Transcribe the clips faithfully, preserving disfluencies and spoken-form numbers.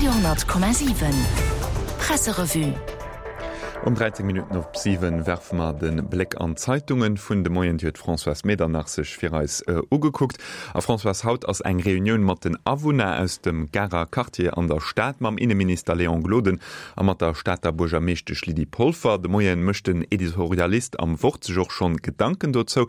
Radio honnert Komma siwen Presserevue. Um dräizéng Minutten op siwen werfe mer de Bléck an d'Zeitungen vun de Moien. Déi huet d'Françoise Medernach sech fir eis ugekuckt. A Françoise, haut ass eng Reunioun mat den Awunner aus dem Garer Quartier an der Stad mam Inneminister Léon Gloden a mat der Stater Buergermeeschtesch Lydie Polfer. De Moien mécht den Editorialist am Wort sech och schonn Gedanken dozou.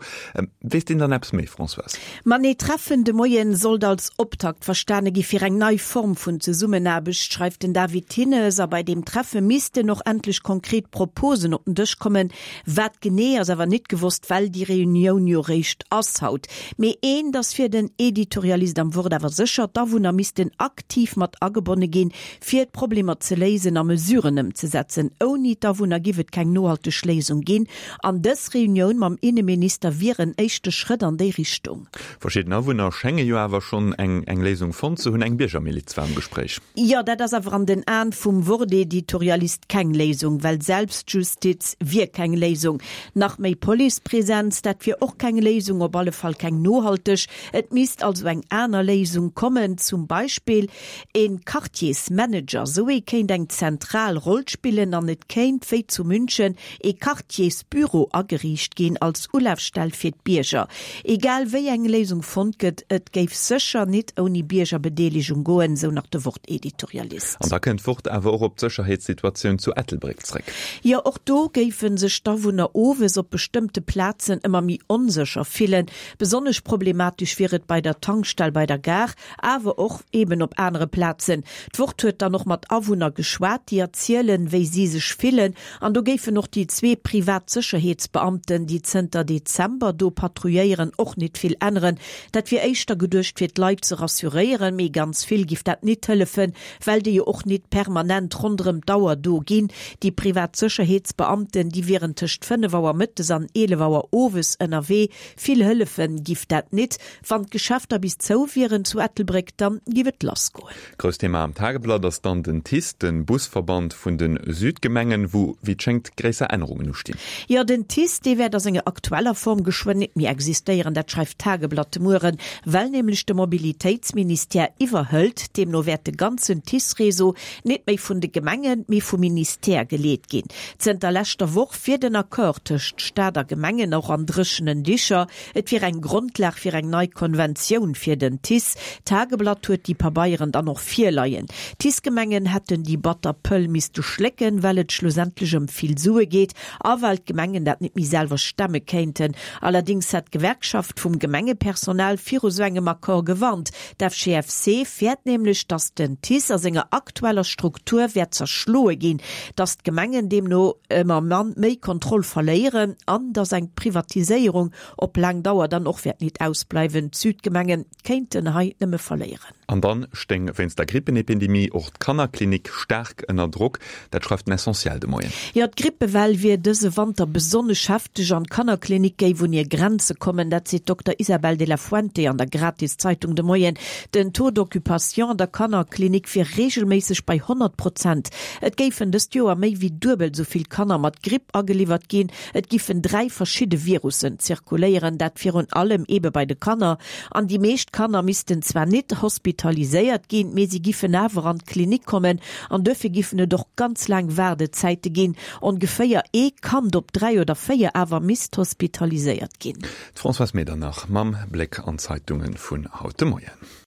Weess deen dann eppes méi, Françoise? Ma nee, d'Treffen de Moien sollt als Optakt verstane gi fir eng nei Form vun Zesummenaarbecht, schreift den David Thinnes. A bei deem Treffe missten och endlech konkret Proposen op den Dësch kommen. Wat genee ass awer nit gewosst, well déi Reunioun jo réischt ass haut. Mee eent ass fir den Editorialist am Wort awer sécher, D'Awunner missten aktiv mat agebonne ginn, fir d'Problemer ze léisen a Mesuren ëmzesetzen. Ouni d'Awunner giff et keng nohalteg Léisung ginn. An dës Reunioun mam Inneminister wier en éischte Schrëtt an déi Richtung. Verschidden Awunner schénge jo awer schonn eng eng Léisung fonnt ze hunn. Eng Biergermiliz war am Gespréich. Jo, dat ass awer an den Aen vum Wort-Editorialist keng Léisung, well Selbstjustiz wier keng Léisung. Nach méi Policepresenz, dat wier och keng Léisung, op alle Fall keng nohalteg. Et misst also eng aner Léisung kommen, zum Beispill een Quartiersmanager. Sou ee kéint eng zentral Roll spillen an et kéint, wéi zu München, ee Quartiersbüro ageriicht ginn als Ulafstell fir d'Bierger. Egal wéi eng Léisung fonnt gëtt, et géif sécher nit ouni Biergerbedeelegung goen, sou nach de Wort-Editorialist. An da kënnt d'Wort awer och op d'Sécherheetssituatioun zu Ettelbréck zréck. Jo, och do géife sech d'Awunner owes op bestëmmte Plazen ëmmer méi onsécher fillen. Besonnesch problematesch wier et bei der Tankstell bei der Gare, awer och eben op anere Plazen. D'Wort huet dann och mat Awunner geschwat, déi erzielen, wéi si sech fillen. An do géifen och déi zwee privat Sécherheetsbeamten, déi zënter Dezember do patrouilléieren, och nit vill änneren. Dat wier éischter geduecht, fir d'Leit ze rassuréieren, mee ganz vill giff dat nit hëllefen, well déi jo och nit permanent ronderëm d'Auer do ginn. Déi privat Sécherheetsbeamten, déi wieren tëscht fënnef Auer mëttes an eelef Auer owes ënnerwee. Vill hëllefen giff dat nit. Wann d'Geschäfter bis zou wieren zu Ettelbréck, dann giff et lass goen. Grousst Thema am Tageblatt ass dann den TICE, den Busverband vun de Südgemengen, wou wéi et schéngt gréisser Ännerungen ustinn. Jo, den TICE, dee wäert a senger aktueller Form geschwënn nit méi existéieren. Dat schreift d'Tageblatt de Mueren, well nämlech de Mobilitéitsministère iwwerhëlt. Deemno wäert de ganzen TICE-Réseau nit méi vun de Gemengen, mee vum Ministère geleet ginn. Zënter leschter Woch wier den Accord tëscht Staat a Gemengen och an dréchenen Dicher. Et wier eng Grondlag fir eng nei Konventioun fir den TICE. D'Tageblatt huet déi Pabeieren dann och virleien. D'TICE-Gemengen hätten déi batter Pëll misste schlécken, well et schlussendlech ëm vill Sue geet a well d'Gemengen dat net méi selwer stemme kéinten. Allerdéngs hätt d'Gewerkschaft vum Gemengepersonal viru sou engem Accord gewarnt. D'F G F C fäert nämlech, datt den TICE a senger aktueller Struktur wäert zerschloe ginn, datt d'Gemengen deemno ëmmer méi Kontroll verléieren an datt eng Privatiséierung op laang Dauer dann och wäert nit ausbleiwen. D'Südgemenge kéinten hei nëmme verléieren. An dann stéing wéinst der Grippenepidemie och d'Kannerklinik staark ënner Drock, dat schreift den Essentiel de Moien. Jo, d'Grippewell wier dëse Wanter besonnesch hefteg an d'Kannerklinik géif un hir Grenze kommen, dat seet d'Dokter Isabel de la Fuente an der Gratiszeitung de Moien. Den Taux d'occupation an der Kannerklinik wier reegelméisseg bei honnert Prozent. Et géifen dëst Joer méi wéi duebel esou vill Kanner mat Gripp ageliwwert ginn. Et giffen dräi verschidde Virussen zirkuléieren, dat virun allem ebe bei de Kanner. An déi meescht Kanner missten zwar nit hospitaliséiert ginn, mee si giffen awer an d'Klinik kommen an duerfir giffen et och ganz laang Waardezäite ginn. Ongeféier ee Kand op dräi oder véier awer misst hospitaliséiert ginn. D'Françoise Medernach mam Bléck an d'Zeitunge vun haut de Moien.